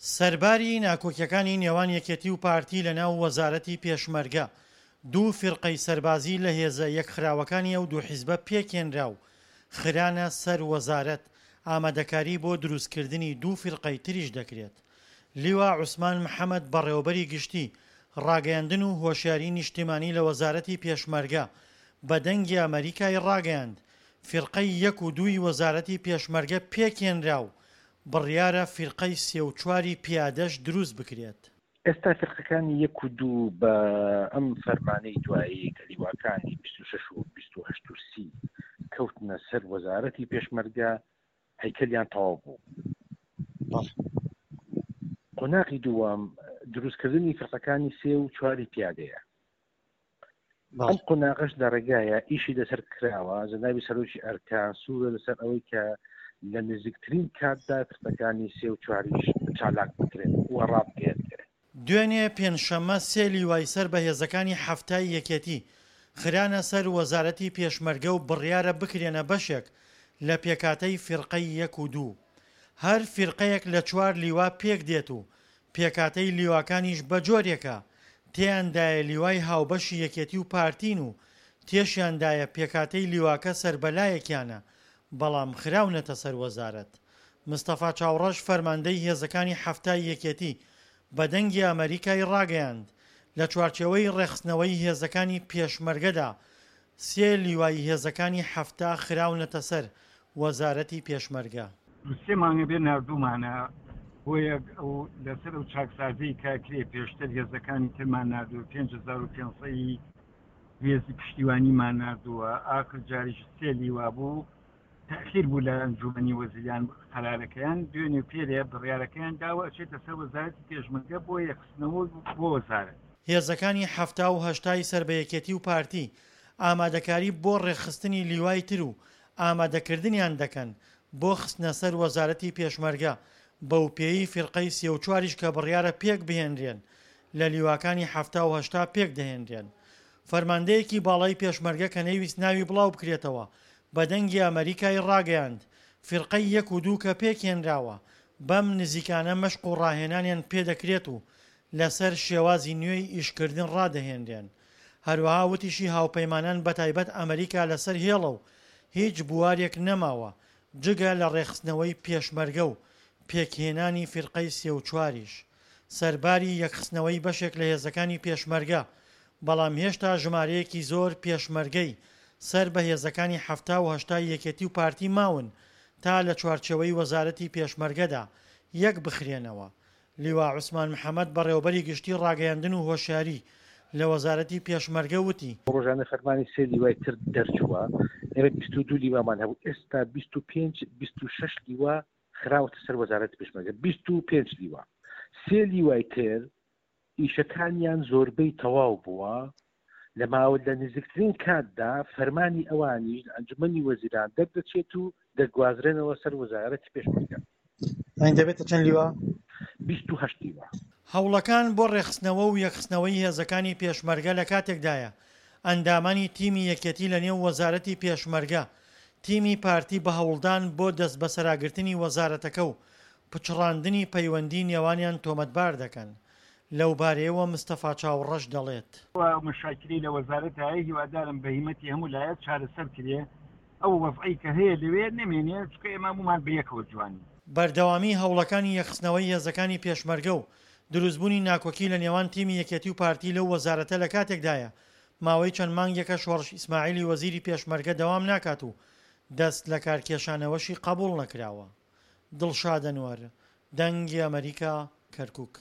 سەرباری ناکۆکیەکانی نێوان یەکێتی و پارتی لە ناو وەزارەتی پێشمەرگە، دوو فیرقەی سەربازی لە هێزە یەکخراوەکانی ئەو دوو حیزبە پێکهێنرا و خرانە سەر وەزارەت، ئامادەکاری بۆ دروستکردنی دوو فیرقەی تریش دەکرێت. لیوا عوسمان محەمەد بەڕێوەبەری گشتی ڕاگەیاندن و هۆشیاری نیشتیمانی لە وەزارەتی پێشمەرگە بە دەنگی ئەمەریکای ڕاگەیاند، فیرقەی یەک و دووی وەزارەتی پێشمەرگە پێکهێنرا و بڕیارە فیرقەی سێ و چواری پیادەش دروست بکرێت. ئێستا فیرقەکانی یەک و دوو بە ئەم فەرمانەی دوایی کە لیواکانی 26 و 28 و 30 کەوتنە سەر وەزارەتی پێشمەرگە هەیکەلیان تەواو بوو. قۆناغی دووەم دروستکردنی فرقەکانی سێ و چواری پیادەیە. ئەم قۆناغەش لە ڕێگایە ئیشی لەسەر کراوە جەنابی سەرۆکی ئەرکان سوورە لەسەر ئەوەی کە لە نزیکترین کاتدا فرقەکانی سێ و چواریش چالاک بکرێن و ڕابگەیەندرێن. دوێنێ پێنجشەممە سێ لیوای سەر بە هێزەکانی حەفتای یەکێتی خرانە سەر وەزارەتی پێشمەرگە و بڕیارە بکرێنە بەشێک لە پێکهاتەی فیرقەی یەک و دوو. هەر فیرقەیەک لە چوار لیوا پێکدێت و پێکهاتەی لیواکانیش بەجۆرێکە تێیاندایە لیوای هاوبەشی یەکێتی و پارتین و تێشیاندایە پێکهاتەی لیواکە سەر بە لایەکیانە بەڵام خراونەتە سەر وەزارەت. مستەفا چاوڕەش فەرماندەی هێزەکانی حەفتای یەکێتی بە دەنگی ئەمەریکای ڕاگەیاند، لە چوارچێوەی ڕێکخستنەوەی هێزەکانی پێشمەرگەدا سێ لیوای هێزەکانی 70 خراونەتە سەر وەزارەتی پێشمەرگە. دوو سێ مانگە بێ ناردوومانە بۆیە ئەو لەسەر ئەو چاکسازیی کە کرێ پێشتر هێزەکانی ترمان ناردووە 5500 ی هێزی پشتیوانیمان ناردووە ئاخر جاریش سێ لیوا بوو تەئخیر بوو لە ئەنجومەنی وەزیران قەرارەکەیان دوێنێ و پێرێ بڕیارەکەیان داوە ئەچێتە سەر وەزارەتی پێشمەرگە بۆ یەکخستنەوە بۆ وەزارەت. هێزەکانی 70 و هەشتای سەر بە یەکێتی و پارتی ئامادەکاری بۆ ڕێکخستنی لیوای تر و ئامادەکردنیان دەکەن بۆ خستنە سەر وەزارەتی پێشمەرگە، بەوپێیەی فیرقەی سێ و چواریش کە بڕیارە پێکبهێنرێن لە لیواکانی 70 و 80 پێکدەهێنرێن. فەرماندەیەکی باڵای پێشمەرگە کە نەیویست ناوی بڵاوبکرێتەوە بە دەنگی ئەمەریکای ڕاگەیاند، فیرقەی یەک و دوو کە پێکهێنراوە، بەم نزیکانە مەشق و ڕاهێنانیان پێدەکرێت و لەسەر شێوازی نوێی ئیشکردن ڕادەهێنرێن. هەروەها وتیشی هاوپەیمانان بەتایبەت ئەمەریکا لەسەر هێڵە و هیچ بوارێک نەماوە جگە لە ڕێکخستنەوەی پێشمەرگە و پێکهێنانی فیرقەی سێ و چواریش. سەرباری یەکخستنەوەی بەشێک لە هێزەکانی پێشمەرگە، بەڵام هێشتا ژمارەیەکی زۆر پێشمەرگەی سەر بە هێزەکانی 70 و هەشتای یەکێتی و پارتی ماون تا لە چوارچێوەی وەزارەتی پێشمەرگەدا یەک بخرێنەوە. لیوا عوسمان محەمەد بەڕێوەبەری گشتی ڕاگەیاندن و هۆشیاری لە وەزارەتی پێشمەرگە وتی، ڕۆژانە فەرمانی سێ لیوای تر دەرچووە، ئێمە 22 لیوامان هەبوو، ئێستا 25 26 لیوا خراوەتە سەر وەزارەتی پێشمەرگە 25 لیوا سێ لیوای تر ئیشەکانیان زۆربەی تەواو بووە لە ماوە لە نزیکترین کاتدا فەرمانی ئەوانیش لە ئەنجومەنی وەزیران دەردەچێت و دەگوازرێنەوە سەر وەزارەتی پێشمەرگە. یانی دەبێتە چەند لیوا؟ 28 لیوا. هەوڵەکان بۆ ڕێکخستنەوە و یەکخستنەوەی هێزەکانی پێشمەرگە لە کاتێکدایە، ئەندامانی تیمی یەکێتی لە نێو وەزارەتی پێشمەرگە تیمی پارتی بە هەوڵدان بۆ دەستبەسەراگرتنی وەزارەتەکە و پچڕاندنی پەیوەندی نێوانیان تۆمەتبار دەکەن. لەوبارەیەوە مستەفا چاوڕەش دەڵێت. ئەو مەشاکیلەی لە وەزارەت هەیە هیوادارم بە هیمەتی هەموو لایەک چارەسەر کرێ ئەو وەزعەی کە هەیە لەوێ نەمێنێ چونکە ئێمە هەموومان بە یەکەوە جوانین. بەردەوامیی هەوڵەکانی یەکخستنەوەی هێزەکانی پێشمەرگە و دروستبوونی ناکۆکی لە نێوان تیمی یەکێتی و پارتی لەو وەزارەتە لە کاتێکدایە ماوەی چەند مانگێکە شۆڕش ئیسماعیلی وەزیری پێشمەرگە دەوام ناکات و دەست لەکارکێشانەوەشی قەبوڵ نەکراوە. دڵشاد ئەنوەر، دەنگی ئەمەریکا، کەرکوک.